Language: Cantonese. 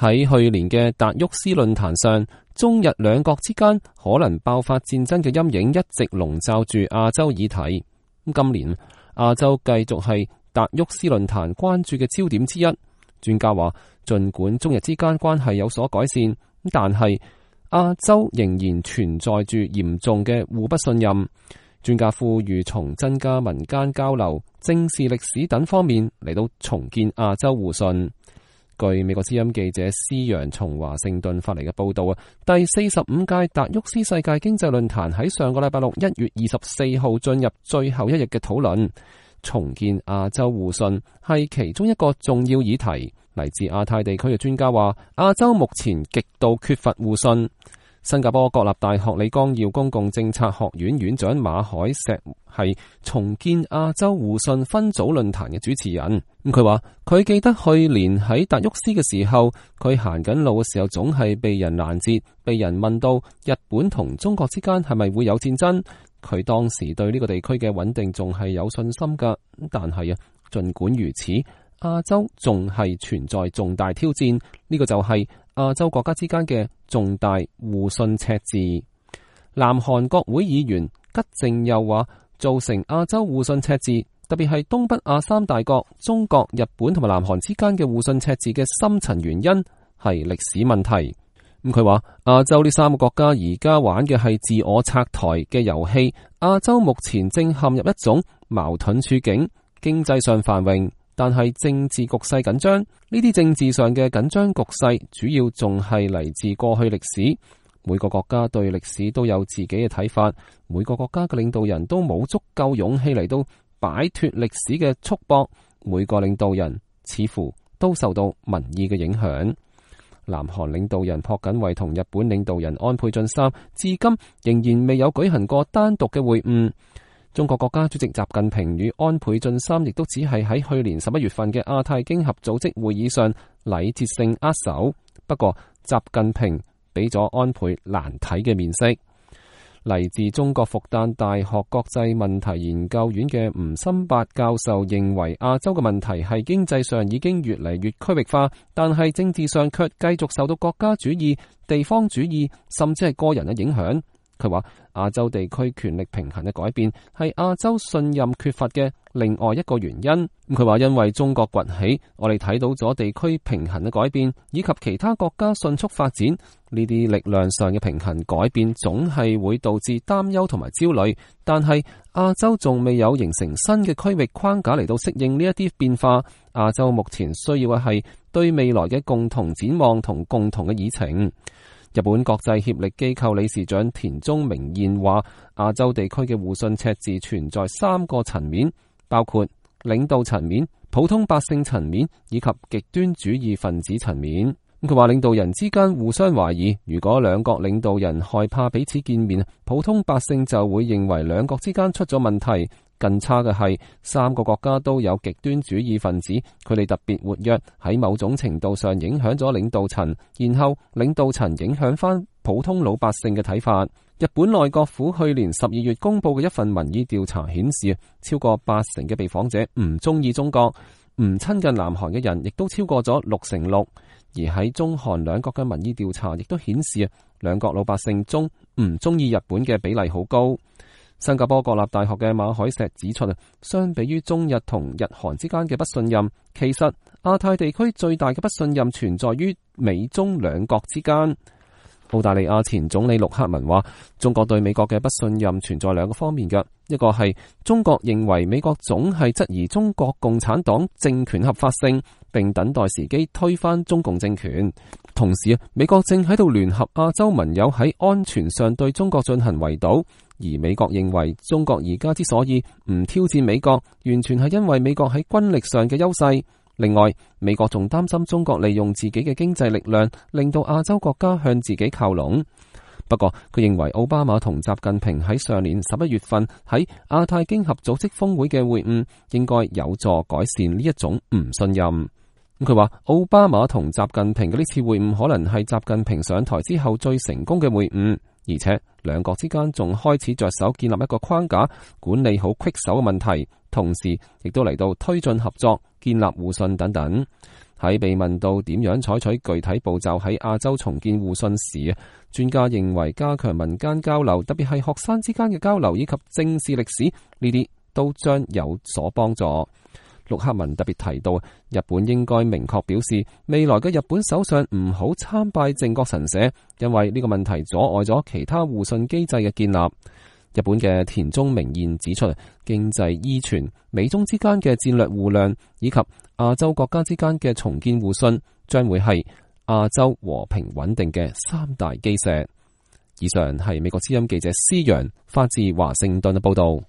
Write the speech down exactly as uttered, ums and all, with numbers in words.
喺去年嘅達沃斯論壇上，中日兩國之間可能爆發戰爭嘅陰影一直籠罩住亞洲議題。今年亞洲繼續係達沃斯論壇關注嘅焦點之一。專家話，盡管中日之間關係有所改善，但係亞洲仍然存在住嚴重嘅互不信任。專家呼籲從增加民間交流、正視歷史等方面嚟到重建亞洲互信。據美國之音記者施洋從華盛頓發嚟嘅報道啊，第四十五屆達沃斯世界經濟論壇喺上個禮拜六一月二十四號進入最後一日嘅討論。重建亞洲互信係其中一個重要議題。嚟自亞太地區嘅專家話，亞洲目前極度缺乏互信。新加坡國立大學李光耀公共政策學院院長馬海石係重建亞洲互信分組論壇嘅主持人。咁佢話佢記得去年喺達沃斯嘅時候，佢行緊路嘅時候總係被人攔截，被人問到日本同中國之間係咪會有戰爭。佢當時對呢個地區嘅穩定仲係有信心噶，但係啊，盡管如此，亞洲仲係存在重大挑戰，呢個就係亞洲國家之間嘅重大互信赤字。南韓國會議員吉正又話，造成亞洲互信赤字，特別係東北亞三大國中國、日本同埋南韓之間嘅互信赤字嘅深層原因係歷史問題。咁佢話亞洲呢三個國家而家玩嘅係自我拆台嘅遊戲，亞洲目前正陷入一種矛盾處境，經濟上繁榮，但係政治局勢緊張。呢啲政治上嘅緊張局勢主要仲係嚟自過去歷史。每個國家對歷史都有自己嘅睇法，每個國家嘅領導人都冇足夠勇氣嚟到擺脫歷史嘅束縛，每個領導人似乎都受到民意嘅影響。南韓領導人朴槿惠同日本領導人安倍晉三至今仍然未有舉行過單獨嘅會晤。中國國家主席習近平與安倍晉三亦都只係喺去年十一月份嘅亞太經合組織會議上禮節性握手。不過習近平俾咗安倍難睇嘅面色。嚟自中國復旦大學國際問題研究院嘅吳心伯教授認為，亞洲嘅問題係經濟上已經越嚟越區域化，但係政治上卻繼續受到國家主義、地方主義甚至係個人嘅影響。佢話亞洲地區權力平衡嘅改變係亞洲信任缺乏嘅另外一個原因。佢話因為中國崛起，我哋睇到咗地區平衡嘅改變，以及其他國家迅速發展。呢啲力量上嘅平衡改變總係會導致擔憂同埋焦慮，但係亞洲仲未有形成新嘅區域框架嚟到適應呢一啲變化。亞洲目前需要嘅係對未來嘅共同展望同共同嘅議程。日本國際協力機構理事長田中明彥話，亞洲地區嘅互信赤字存在三個層面，包括領導層面、普通百姓層面以及極端主義分子層面。佢話領導人之間互相懷疑，如果兩國領導人害怕彼此見面，普通百姓就會認為兩國之間出咗問題。更差嘅係，三個國家都有極端主義分子，佢哋特別活躍，喺某種程度上影響咗領導層，然後領導層影響翻普通老百姓嘅睇法。日本內閣府去年十二月公布嘅一份民意調查顯示，超過八成嘅被訪者唔中意中國，唔親近南韓嘅人亦都超過咗六成六。而喺中韓兩國嘅民意調查亦都顯示，兩國老百姓中唔中意日本嘅比例好高。新加坡國立大學嘅馬海石指出，相比於中日同日韓之間嘅不信任，其實亞太地區最大嘅不信任存在於美中兩國之間。澳大利亞前總理陸克文話，中國對美國嘅不信任存在兩個方面嘅，一個係中國認為美國總係質疑中國共產黨政權合法性，並等待時機推翻中共政權。同時，美國正喺度聯合亞洲盟友喺安全上對中國進行圍堵。而美國認為中國而家之所以唔挑戰美國，完全係因為美國喺軍力上嘅優勢。另外，美國仲擔心中國利用自己嘅經濟力量，令到亞洲國家向自己靠攏。不過，佢認為奧巴馬同習近平喺上年十一月份喺亞太經合組織峰會嘅會晤，應該有助改善呢一種唔信任。佢話奧巴馬同習近平嘅呢次會晤可能係習近平上台之後最成功嘅會晤。而且兩國之間仲開始着手建立一個框架，管理好棘手嘅問題，同時亦都嚟到推進合作、建立互信等等。喺被問到點樣採取具體步驟喺亞洲重建互信時，專家認為加強民間交流，特別係學生之間嘅交流以及正視歷史，呢啲都將有所幫助。陸克文特別提到，日本應該明確表示，未來嘅日本首相唔好參拜靖國神社，因為呢個問題阻礙咗其他互信機制嘅建立。日本嘅田中明彥指出，經濟依存、美中之間嘅戰略互諒以及亞洲國家之間嘅重建互信，將會係亞洲和平穩定嘅三大基石。以上係美國之音記者施洋發自華盛頓嘅報道。